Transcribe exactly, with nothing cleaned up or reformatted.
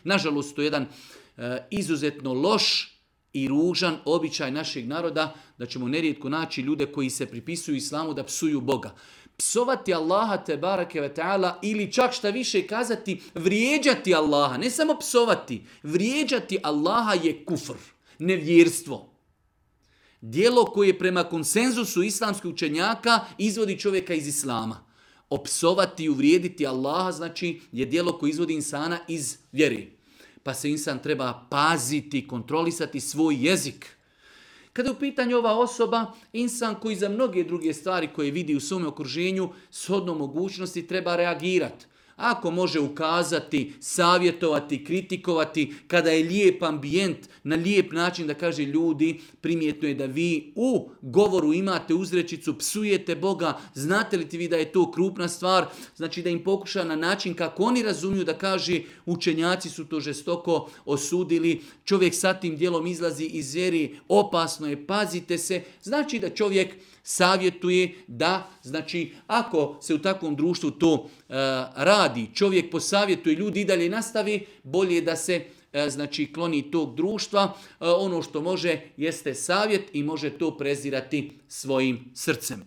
Nažalost, to je jedan e, izuzetno loš i ružan običaj našeg naroda, da ćemo nerijetko naći ljude koji se pripisuju islamu da psuju Boga. Psovati Allaha te barake ve ta'ala ili čak šta više kazati vrijeđati Allaha, ne samo psovati, vrijeđati Allaha je kufr, nevjerstvo. Djelo koje prema konsenzusu islamskih učenjaka izvodi čovjeka iz islama. Opsovati i uvrijediti Allaha znači je djelo koje izvodi insana iz vjere. Pa se insan treba paziti, kontrolisati svoj jezik. Kada je u pitanju ova osoba, insan koji za mnoge druge stvari koje vidi u svom okruženju, shodno mogućnosti treba reagirati. Ako može ukazati, savjetovati, kritikovati, kada je lijep ambijent, na lijep način da kaže ljudi, primjetno je da vi u govoru imate uzrečicu, psujete Boga, znate li ti vi da je to krupna stvar, znači da im pokuša na način kako oni razumiju da kaže učenjaci su to žestoko osudili, čovjek sa tim djelom izlazi iz vjere, opasno je, pazite se, znači da čovjek savjetuje da, znači, ako se u takvom društvu to uh, radi, čovjek posavjetuje, ljudi i dalje nastavi, bolje da se uh, znači, kloni tog društva. Uh, ono što može jeste savjet i može to prezirati svojim srcem.